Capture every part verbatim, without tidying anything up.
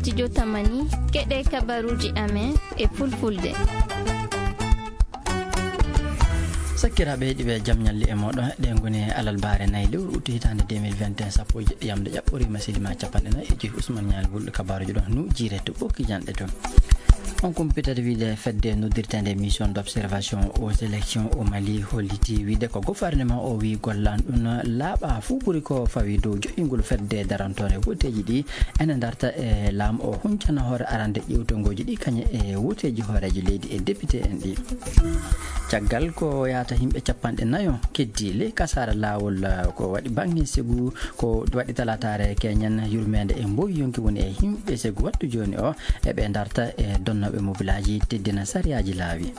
Studio Tamani, keɗe kabaruuji amen e fulfulde. Sakkiraaɓe heɗiiɓe, jam ñalle e mooɗon. Ɗe ngoni alarbaare nayi lewru utu hitaande deux mille vingt et un, sappo e jeɗɗi yamde ƴaɓɓoriima, sili ma capanɗe nayi e joyi. Ousmane Ñaali Wulɗo, kabaruuji ɗon New Jire to Ɓokki Janɗe to. On kumpitata wiide fedde noddirteende Mission d'observation aux élections au Mali holliti wiide ko gouvernement o wi gollan ɗum laaɓa fuu ɓuri ko fawi dow joƴƴingol fedde darantoonde woteeji ɗi ene darta e laamu o huncana hoore arande ƴeewtongooji ɗi kañe e woteeji hooreejo leydi e député en ɗi. Caggal ko yahata yimɓe capanɗe nayo keddi ley kasaara laawol, eh, ko waɗi baŋŋe segu, ko waɗi talaataare keñen yurmeende e mboy yonki woni e yimɓe segu wattu jooni o, e ɓe darta e donnooɓe mobilaaji teddina sariyaaji laawi.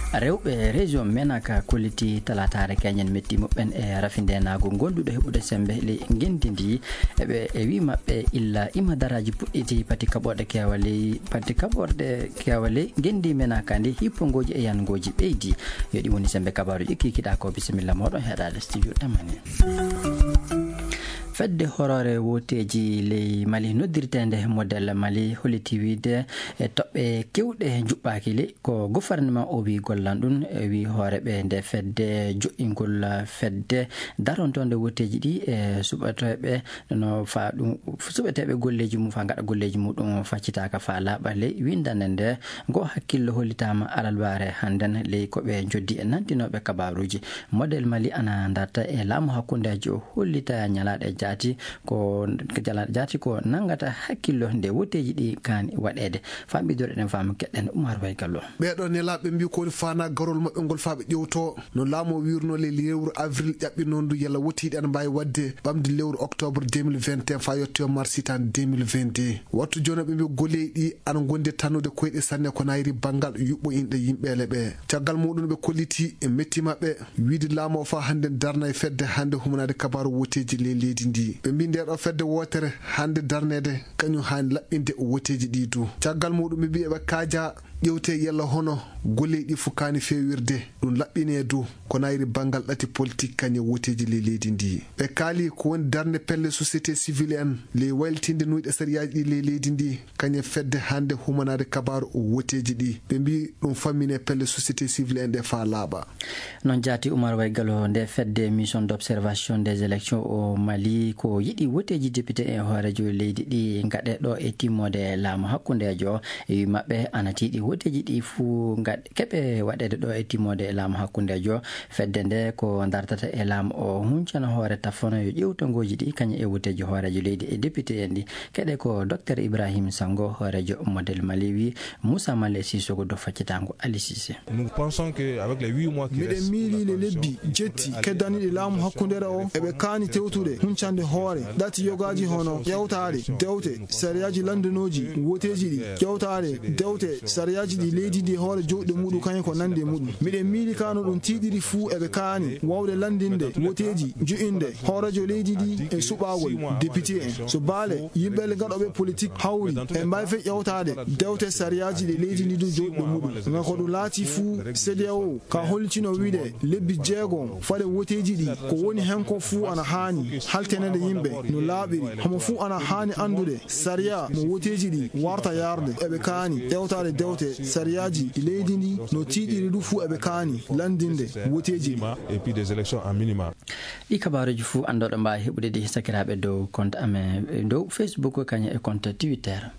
Rewɓe région Menaka kolliti talaataare keñen metti muɓɓen e rafindeenaagu gonduɗo heɓude sembe ley ngenndi ndi. Eɓe e wi maɓɓe illa ima daraaji puɗɗiti pati kaɓorɗe keewa ley, pati kaɓorɗe keewa ley ngenndi Menaka ndi hippongooji e yangooji ɓeydi. Yo ɗi woni sembe kabaaruuji kikiɗa ko bisimilla mooɗon heɗaade studio Tamani. Fedde horoore woteeji ley Mali noddirteende Model Mali holliti wiide e toɓɓe kewɗe njuɓɓaaki ley ko gouvernement o wi gollan ɗum, e wi hooreeɓe nde fedde joƴƴingol fedde darontoonde woteeji ɗi e suɓeteeɓe no fa ɗum, suɓeteeɓe golleeji mum fa ngaɗa golleeji muɗum faccitaaka fa laaɓa ley winndannde nde. Ngo hakkillo hollitaama alarbaare hannden ley ko ɓe njoddi e nantinooɓe kabaaruuji. Model Mali ana darta e laamu hakkundeejo hollita ñalaaɗe jaati ko, ñalaaɗe jaati ko nanngata hakkillo nde woteeji ɗi kaani waɗeede. Famɗidore ɗen faamu keɗen Umar Way Gallo. Ɓeeɗo nelaaɓe mbi ko woni faanaa garol maɓɓe ngol faa ɓe ƴewto no laamu o wiirno ley lewru avril ƴaɓɓinondu yalla woteeji ɗi ana mbaawi waɗde ɓamde lewru octobre deux mille vingt et un faa yettoyo mars hitaande deux mille vingt-deux. Wattu jooni ɓe mbi golleeji ɗi ana ngondi tannude koyɗe sanne ko nayri banngal yuɓɓo inɗe yimɓeele ɓe. Caggal muɗum ɓe kolliti e metti maɓɓe wiide laamu o faa hannde darna e fedde hannde humanaade kabaaru woteeji ley leydi ndi. Ɓe mbi nde ɗo fedde wootere hannde darneede kañum haani laɓɓinde woteeji ɗi du. Caggal muɗum ɓe mbi eɓe kaaja ƴewte yalla hono golleeji ɗi fof kaani feewirde ɗum laɓɓinee du ko nayri banngal ɗati politik kañum e woteeji ley leydi ndi. Ɓe kaali ko woni darnde pelle société civile en ley waylitinde nuyɗe sariyaaji ɗi ley leydi ndi kañum e fedde hannde humanaade kabaaru woteeji ɗi. Ɓe mbi ɗum fammine pelle société civile en ɗe faa laaɓa. Noon jaati Umar Way Gallo nde fedde Mission d'observation des élections au Mali ko yiɗi woteeji député e hooreejo leydi ɗi ngaɗe ɗo e timmoode laamu hakkundeejo. E wi maɓɓe ana tiiɗi woteeji ɗi fuu ngaɗ-, keɓe waɗeede ɗo e timmoode laamu hakkundeejo. Fedde nde ko dartata e laamu o huncana hoore tafono yo ƴeewtongooji ɗi kañum e woteeji hooreejo leydi e député en ɗi. Keɗe ko Docteur Ibrahim Sango hooreejo Model Mali wi Moussa Male Sissoko do faccitaango Ali Cissé. Nous pensons que avec les huit mois qui Miɗen restent miili pour la le lebbi coalition, jetti keddaniɗi laamu hakkundere o, eɓe kaani tewtude huncande hoore ɗati yogaaji hono ƴewtaade dewte sariyaaji lanndanooji woteeji ɗi, ƴewtaade dewte sariyaaji ɗi leydi ndi hoore joɗɗe muɗum kañum ko nande muɗum. Miɗen miili ka no ɗum tiiɗiri fuu eɓe kaani wawde lanndinde woteeji jo'inde hooreejo leydi ndi e suɓaagol député en. So baale yimɓe le gaɗoɓe politik hawri, en mbaawi fe ƴewtaade dewte sariyaaji ɗi leydi ndi du joɗɗe muɗum. Ngam ko ɗum laati fuu C D A O ka hollitino wiide lebbi jeegom fade woteeji ɗi ko woni hen ko fuu ana haani haltenede yimɓe no laaɓiri. Homo fuu ana haani anndude sariya mo woteeji ɗi warta yarde. Eɓe kaani ƴewtaade dewte sariyaaji leydi ndi no tiiɗiri du fuu eɓe kaani lanndinde woteeji ɗi. Et puis des élections en minima. Ɗi kabaaruuji fuu anndoɗo mbaawi heɓude ɗi sakiraaɓe dow compte amen dow Facebook kañum e compte Twitter.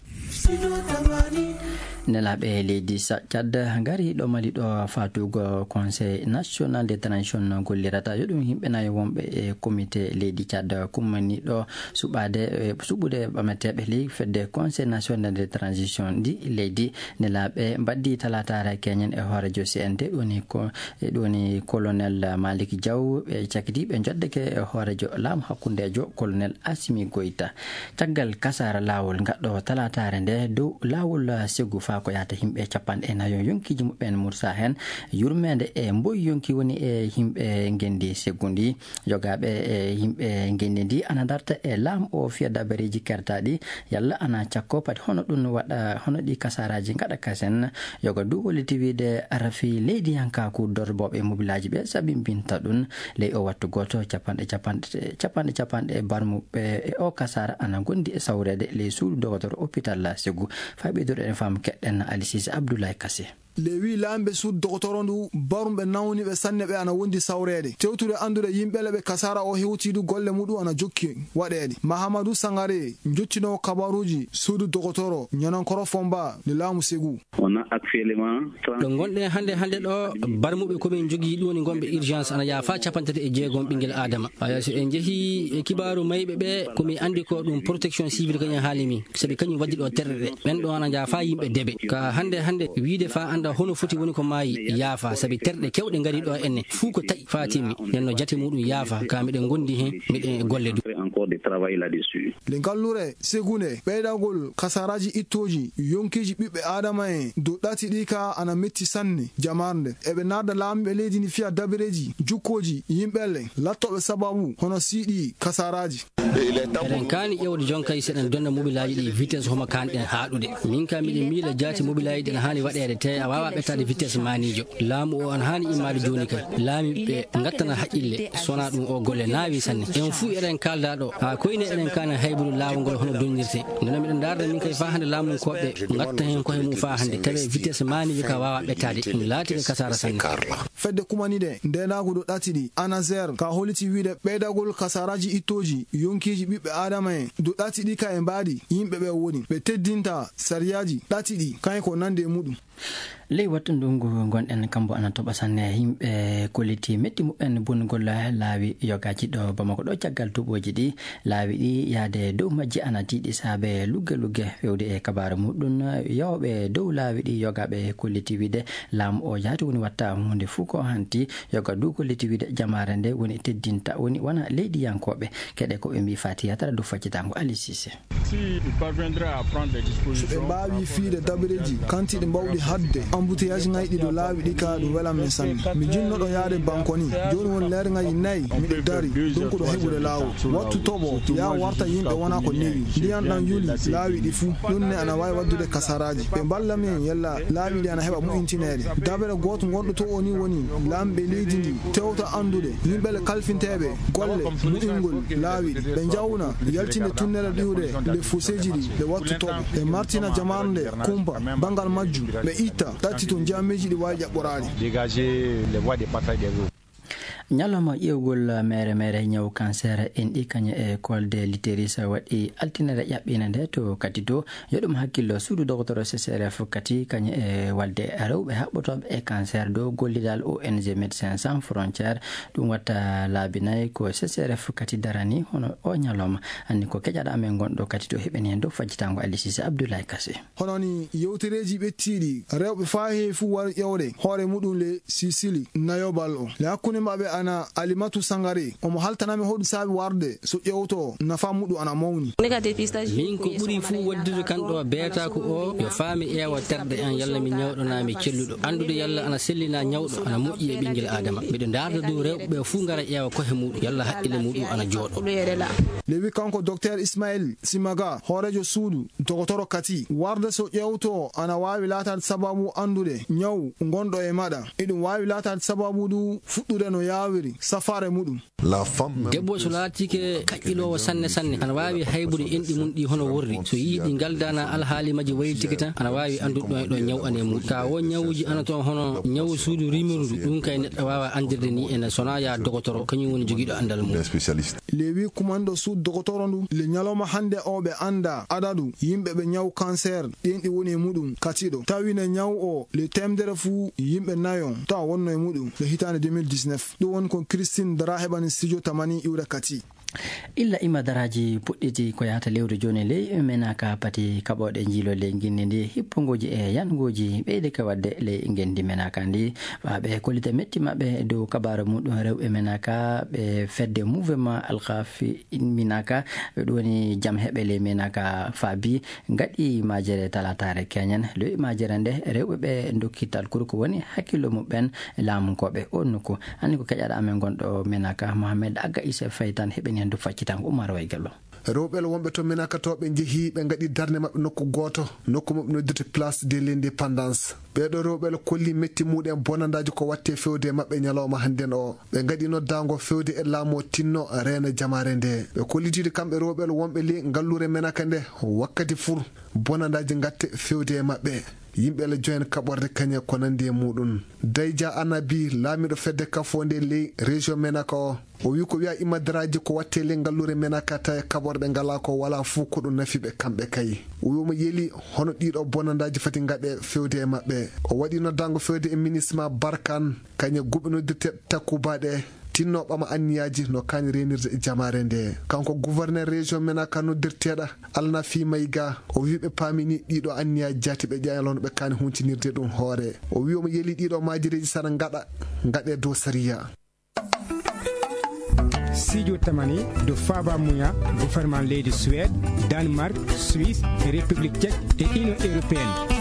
Nelaaɓe leydi Sa-, Tchad ngari ɗo Mali ɗo faatugo Conseil National de Transition gollirata. Yo ɗum yimɓe nayo wonɓe e comité leydi Tchad kummaniɗo suɓaade, e suɓude ɓameteeɓe ley fedde Conseil National de Transition ndi leydi. Nelaaɓe mbaddi talaataare keñen e hooreejo C N T, ɗoni ko, e ɗoni Colonel Malick Diaw, ɓe cakiti ɓe njoddeke e hooreejo laamu hakkundeejo Colonel Assimi Goïta. Caggal kasaara laawol ngaɗɗo talaataare nde dow laawol segu faa Ko yahata yimɓe capanɗe nayo yonkiiji muɓɓen mursa heen. Yurmeende e mboy yonki woni e yimɓe ngenndi seggundi. Yogaaɓe e yimɓe ngenndi ndi ana darta e laamu o fiya dabareeji kertaaɗi. Yalla ana cakko pati hono ɗum waɗa, hono ɗi kasaaraaji ngaɗa kasen. Yoga du holliti wiide ara fii leydiyankaaku dorlotooɓe mobilaaji ɓe sabimbinta ɗum. Ley o wattu gooto, capanɗe, capanɗe, capanɗe, capanɗe barmuɓe e o kasaara ana ngondi e sawreede ley suudu dogotoro hôpital Ségou. Faa ɓeydude en faamu keɗɗen Ali Sise Abdoulaye Kassé. Lewi laamɓe suudu dogotoro ndu, barumɓe nawniiɓe sanne ɓe ana wondi sawreede. Tewtude anndude yimɓe le ɓe kasaara o hewtii du golle muɗum ana jokki waɗeede. Mahamadou Sangare, njottinoowo kabaruuji suudu dogotoro, ñanankoro Fomba, nde laamu Ségou. On a actuellement trente. Ɗo ngonɗen hannde, hannde ɗo, barmuɓe ko min njogii ɗum woni ngonɓe urgence ana yaafa capanɗe tati e jeegom ɓinngel Aadama. Haya, so en njehii e kibaaru mayɓe ɓe, ko mi anndi ko ɗum protection civile kañum haali min, sabi kañum waddi ɗo terɗe ɗe. Ɓen ɗo ana njaafa yimɓe debe. Ka hannde, hannde wiide fa annda hono foti woni ko maayi yaafa, sabi terɗe kewɗe ngari ɗo enne, fuu ko taƴi fa timmi. Nden no jate muɗum yaafa, ka miɗen ngondi hen, miɗen e golle du. Encore de travail là-dessus. Nde ngallure Ségou nde, ɓeydagol kasaaraaji ittooji yonkiiji ɓiɓɓe Aadama en dow ɗati ɗi ka ana metti sanne jamaare nde. Eɓe narda laamiiɓe leydi ndi fiya dabareeji jukkooji yimɓe le lattooɓe sababu hono sii ɗi kasaaraaji. Eɗen kaani ƴeewde jonkay seɗen donna mobilaaji ɗi vitesse homo kaanɗen haaɗude. Min ka miɗen miila jaati mobilaaji ɗi ana haani waɗeede te a waawaa ɓettaade vitesse maaniijo. Laamu o ana haani immaade jooni kay. Laamiiɓe ɓe ngattana haqqille, so wonaa ɗum o golle naawi sanne. En fuu eɗen kaalda ɗo, haa koyne eɗen kaani haybude laawol ngol hono donnirtee. Ndeno miɗen ndaarda min kay faa hannde laamunkooɓe ngatta heen koye mum faa hannde, tawi vitesse maaniijo ka waawaa ɓettaade. Ɗum laati ko kasaara sanne. Fedde kumaniiɗe ndeenaagu dow ɗati ɗi, ANASER, ka holliti wiide ɓeydagol kasaaraaji ittooji yonkiiji ɓiɓɓe Aadama en dow ɗati ɗi ka e mbaadi yimɓe ɓe woni. Ɓe teddinta sariyaaji ɗati ɗi, kañum ko nande e muɗum. Ley wattu ndungu ngonɗen, kambo ana toɓa sanne. Yimɓe kolliti metti muɓɓen bonnugol laawi yogaaji ɗo Bamako ɗo caggal duuɓooji ɗi. Laawi ɗi yaade dow majji ana tiiɗi saabe lugge lugge. Fewde e kabaaru muɗum, yawɓe dow laawi ɗi yogaaɓe kolliti wiide laamu o jaati woni watta huunde fuu ko hanti. Yoga du kolliti wiide jamaare nde woni teddinta, woni wona leydiyankooɓe. Keɗe ko ɓe mbii faa tiyatara dow faccitaango Ali Sise. Si il parviendra à prendre des dispositions. So ɓe mbaawi fiyde dabareeji kantiiɗi mbawɗi haɗde embouteillage ŋayɗi dow laawi ɗi ka ɗum welan men sanne. Mi jinnoɗo yaade banko ni. Jooni won leere ŋaji nayi miɗo dari, donc ɗo heɓude laawol. Wattu toɓo, yaa warta yimɓe wona ko newi. Ndiyan ɗan yuli laawi ɗi fuu. Ɗum ne ana waawi waddude kasaraaji. Ɓe mballa men yalla laawi ɗi ana heɓa moƴƴintineede. Dabere gooto ngonɗo to o ni woni laamɓe leydi ndi tewta anndude yimɓe le kalfinteeɓe golle moƴƴingol laawi ɗi. Ɓe njawna yaltinde tunnere ɗiwde le foseeji ɗi, ɓe wattu toɓo, ɓe martina jamaanu nde kumpa banngal majjum, ɓe itta ɗatti to jaamiiji ɗi waawi ƴaɓɓoraade. Dégager les voies de passage des eaux. Ñalawma ƴeewgol meere meere ñaw cancer enɗi kañum e kolde l'utérus waɗi altinere ƴaɓɓiinde nde to Kati to. Yo ɗum hakkillo suudu dogotoro C C R F Kati kañum e walde rewɓe haɓɓotooɓe e cancer dow gollidal O N G Médecins Sans Frontières. Ɗum watta laabi nayi ko C C R F Kati darani hono o ñalawma. Anni ko keƴaɗo amen gonɗo Kati to heɓeni heen dow fajjitaango Ali Sise Abdoulaye Kassé. Hono ni yewtereeji ɓettiiɗi, rewɓe faa heewi fuu wari ƴeewde hoore muɗum le Sisili nayobal o. Le hakkunde maɓɓe ana Alimatu Sangare, omo haltanami hoɗum saabi warde so ƴeewto nafa muɗum ana mawni. Min ko ɓuri fuu waddude kan ɗo beetaaku o, yo faa mi ƴeewa terɗe an yalla mi ñawɗo naa mi celluɗo. Anndude yalla ana sellina ñawɗo ana moƴƴi e ɓinngel Aadama. Miɗo ndaarda dow rewɓe ɓe fuu ngara ƴeewa kohe muɗum yalla haqqille muɗum ana jooɗo. Lewi kanko Docteur Ismail Simaga, hooreejo suudu dogotoro Kati, warde so ƴeewto ana waawi laataade sababu anndude ñaw ngonɗo e maɗa. Eɗum waawi laataade sababu du fuɗɗude no yaawiri safaare muɗum. Debbo so laatike kaƴƴiloowo sanne sanne, ana waawi haybude enɗi mum ɗi hono worri. So yii ɗi ngaldaana alhaali majji waylitike tan, ana waawi anndude ɗo e ɗo ñaw ana e muɗum. Ka won ñawuuji ana toon hono ñawu suudu rimirndu, ɗum kay neɗɗo waawa anndirde ni ene so wonaa yaa dogotoro, kañum woni jogiiɗo anndal mum. Lewi kumanɗo suudu dogotoro ndu, le ñalawma hannde o ɓe annda adadu yimɓe ɓe ñaw cancer ɗen ɗi woni e muɗum Kati ɗo. Tawi ne ñaw o le teemedere fuu yimɓe nayo tawa wonno e muɗum le hitaande deux mille dix-neuf. Ɗum woni ko Christine Dara heɓani studio Tamani iwre Kati. Illa ima daraaji puɗɗiti ko yahata lewru jooni ley menaka pati kaɓooɗe njiilo ley nginndi ndi, hippongooji e yangooji ɓeyde ka waɗde ley ngenndi menaka ndi. Ɓaaɓe kollita metti maɓɓe dow kabaaru muɗum rewɓe menaka ɓe fedde mouvement alkafi minaka, ɓe ɗum woni jam heɓe ley menaka faabi ngaɗi majere talataare keñen. Lowi majere nde rewɓe ɓe dokki talkuru ko woni hakkillo muɓɓen laamunkooɓe on nokku. Anni ko keƴaɗo amen gonɗo menaka Mohamed Agga Issa Faye tan heɓeni hen du faccitango Umar Waygallo. Rewɓe wonɓe to menaka to ɓe njehi ɓe ngaɗi darnde maɓɓe nokku gooto, nokku maɓɓe noddirte Place de l'Indépendance. Ɓeeɗo rewɓe kolli metti muɗen bonandaaji ko watte fewde e maɓɓe ñalawma hannden o. Ɓe ngaɗi noddaango fewde e laamu o tinno reena jamaare nde. Ɓe kollitiiɗo kamɓe rewɓe wonɓe ley ngallure menaka nde wakkati fur bonandaaji ngatte fewde e maɓɓe. Yimɓe la joyen kaɓorde kañe ko nandi e muɗum. Dayja Anabi, laamiɗo fedde kafoonde ley région menaka o, o wi ko wiya imadaraaji ko watte ley ngallure menaka tawi kaɓorɗe ngala ko wala fuu ko ɗum nafi ɓe kamɓe kay. O wi omo yeli hono ɗiɗo bonandaaji fati ngaɗe fewde e maɓɓe. O waɗi noddaango fewde e ministre ma Barkan, kañe guɓe noddirte takkubaɗe, tinno ɓama anniyaaji no kaani reenirde e jamaare nde. Kanko gouverneur région menaka noddirteeɗo Alnafi Mayga, o wi ɓe paamini ɗiɗo anniyaaji jaati ɓe ƴeeña lono ɓe kaani huncinirde ɗum hoore. O wi omo yeli ɗiɗo maajireeji sana ngaɗa, ngaɗe dow sariya. Sijo tamani do faba muya gouvernement leydi Suède, Danemark, Suisse, République Tchèque et Union Européenne.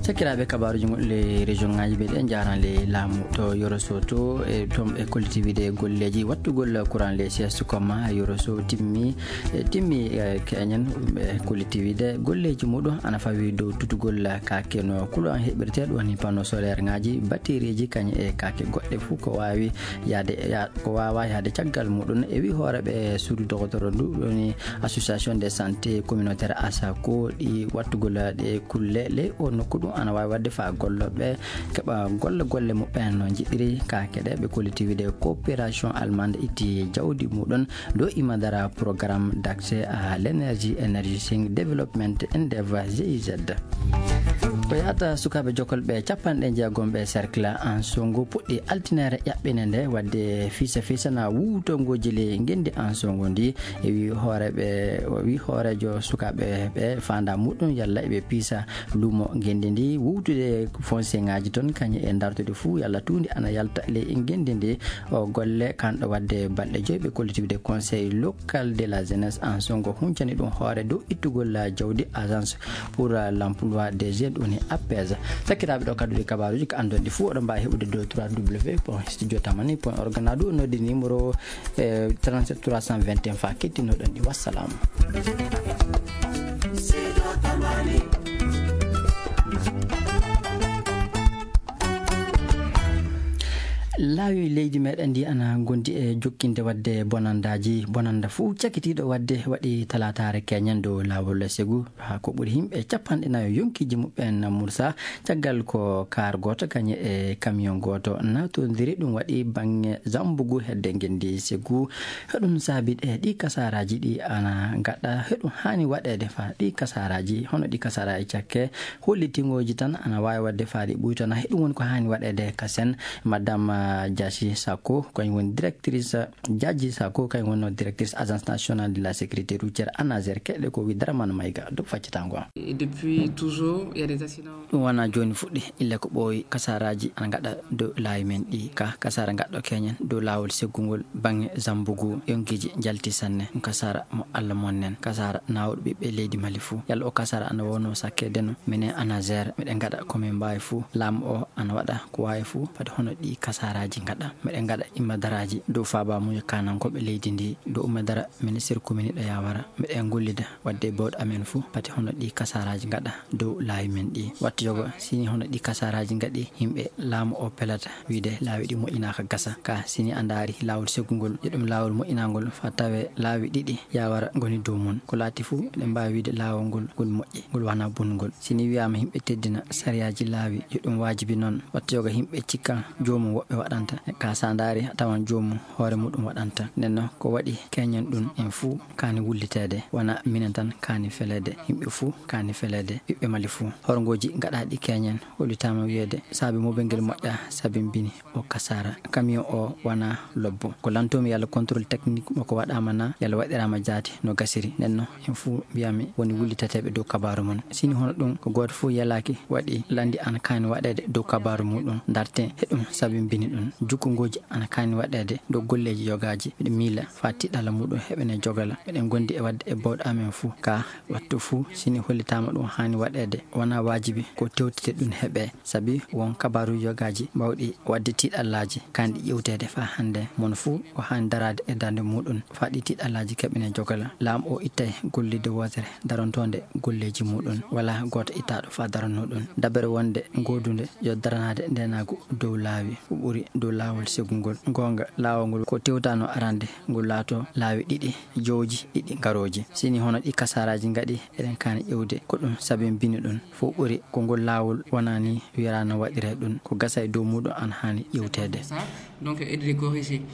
Sakiraaɓe, kabaaruuji gonɗi ley région ŋaaji ɓe ɗe njaran ley laamu to Yoro Soto e toon ɓe kolliti wiide golleeji wattugol courant ley sieste comma Yoro Soto timmi, e timmi, e keñen ɓe kolliti wiide golleeji muɗum ana fawi dow tutugol kaake no courant heɓirte ɗum woni panneau solaire ŋaaji, batterie ji kañum e kaake goɗɗe fof ko waawi yahde ya-, ko waawaa yahde caggal muɗum. E wi hooreeɓe suudu dogotoro ndu woni Association de santé communautaire, ASACO, ɗi wattugol ɗe kulle ley o nokku ɗum ana waawi waɗde faa gollooɓe keɓa golle golle muɓɓen no njiɗiri. Kaake ɗe ɓe kolliti wiide coopération allemande itti jawdi muɗum dow imadara programme d'accès à l'énergie, Energizing Development Endeavour, G I Z. Ko yahata sukaaɓe jokolɓe capanɗe jeegom ɓe cercle Ansongo puɗɗi altine ere ƴaɓɓine nde waɗde fiisa fiisa na wuwtongooji ley ngenndi Ansongo ndi. E wi hooreeɓe, o wi hooreejo sukaaɓe ɓe faanda muɗum yalla eɓe piisa luumo ngenndi ndi, wuwtude foncier ŋaaji toon kañum e dartude fuu yalla tuundi ana yalta ley ngenndi ndi. O golle kanɗo waɗde balɗe joyi ɓe kolliti wiide conseil local de la jeunesse Ansongo huncani ɗum hoore dow ittugol jawdi agence pour l'emploi des jeunes woni APEJ. Sakiraaɓe, ɗo kadduɗi kabaaruuji ko anndon ɗi fuu oɗon mbaawi heɓude dow trois W point studio tamani point org na ɗum noddi numéro, eh, trente-sept trois cent vingt et un fa kettinoɗon ɗi. Wassalam. Laawi leydi meɗen ndi ana gondi e jokkinde waɗde bonandaaji. Bonanda fuu cakitiiɗo waɗde waɗi talaataare keñen dow laawol Segu. Haa ko ɓuri yimɓe capanɗe nayo yonkiiji muɓɓen mursa, caggal ko kaar gooto kañum e camion gooto naatondiri. Ɗum waɗi baŋŋe Zambugu hedde ngenndi Segu. Heɗum saabi ɗe ɗi kasaaraaji ɗi ana ngaɗa. Heɗum haani waɗeede faa ɗi kasaaraaji, hono ɗi kasaaraaji cakke hollitingooji tan ana waawi waɗde faa ɗi ɓuytana. Heɗum woni ko haani waɗeede ka sen. Madame, ah, Diassi Sakho, kañum woni directrice, Diadji Sakho, kañum woni directrice Agence Nationale de la Sécurité Routière, ANASER, keɗe ko wi Dramane Maïga, dow faccatango am. Et depuis toujours, il y a des accidents. Ɗum wona jooni fuɗɗi, ille ko ɓooyi kasaaraaji ana ngaɗa dow laawi men ɗi. Ka kasaara ngaɗɗo keñen dow laawol seggungol baŋŋe Zambugu, yonkiiji njalti sanne. Ɗum kasaara mo Allah monnen, kasaara naawuɗo ɓiɓɓe leydi Mali fuu. Yalla o kasaara ana wonno sakkede no, minen ANASER, miɗen ngaɗa ko min mbaawi fuu. Laamu o ana waɗa ko waawi fuu, fade hono ɗi kasaaraaji ngaɗa. Miɗen ngaɗa imadaraaji dow faabaamuuji kaanankooɓe leydi ndi, dow umadara ministre commune ɗo yawara. Miɗen ngollida waɗde bawɗe amen fuu, pati hono ɗi kasaaraaji ngaɗa dow laawi men ɗi. Wattu yogo, sini hono ɗi kasaaraaji ngaɗi, yimɓe laamu o pelata wiide laawi ɗi moƴƴinaaka gasa. Ka sini a ndaari laawol seggungol, yo ɗum laawol moƴƴinangol, faa tawe laawi ɗiɗi yawara ngoni dow mum. Ko laati fuu, eɗen mbaawi wiide laawol ngol, ngol moƴƴi, ngol wanaa bonnugol. Sini wiyaama yimɓe teddina sariyaaji laawi, yo ɗum waajibi noon. Wattu yogo yimɓe cikka joomum woɓɓe waɗanta. Ka sa ndaari, a tawan joomum hoore muɗum waɗanta. Nden noon, ko waɗi keñen ɗum, en fuu kaani wulliteede. Wona minen tan kaani feleede, yimɓe fuu kaani feleede, ɓiɓɓe Mali fuu. Horngooji gaɗaaɗi keñen hollitaama wiyeede saabi mobel ngel moƴƴa, sabimbini o kasaara. Camion o wona lobbo. Ko lantoomi yalla contrôle technique makko waɗaama na, yalla waɗiraama jaati no gasiri. Nden noon, en fuu mbiyami woni wulliteteeɓe dow kabaaru mon. Sini hono ɗum, ko gooto fuu yelaaki waɗi lanndi ana kaani waɗeede dow kabaaru muɗum. Ndarte he ɗum sabimbini ɗum. Jukkungooji ana kaani waɗeede dow golleeji yogaaji. Miɗo miila faa tiɗalla muɗum heɓene jogala. Miɗen gondi e waɗde e bawɗe amen fuu. Ka wattu fuu, sini hollitaama ɗum haani waɗeede, wona waajibi ko tewtete ɗum heɓe. Sabi won kabaaru yogaaji bawɗi waɗde tiɗallaaji, kaani ɗi ƴewteede faa hannde. Mon fuu o haani daraade e darnde muɗum faa ɗi tiɗallaaji keɓene jogala. Laamu o ittay gollidde wootere darontoonde golleeji muɗum. Walaa gooto ittaaɗo faa darano ɗum. Dabere wonde goodunde yo daranaade ndeenaagu dow laawi, ko ɓuri dow laawol segungol. Goonga, laawol ngol ko tewtano arande, ngol laato laawi ɗiɗi, jowji ɗiɗi garooji. Sini hono ɗi kasaaraaji ngaɗi, eɗen kaani ƴewde ko ɗum sabimbini ɗum. Fof ɓuri ko ngol laawol wonani wiyata no waɗire ɗum, ko gasa e dow muɗum an haani ƴewteede. Donc, aide de corriger.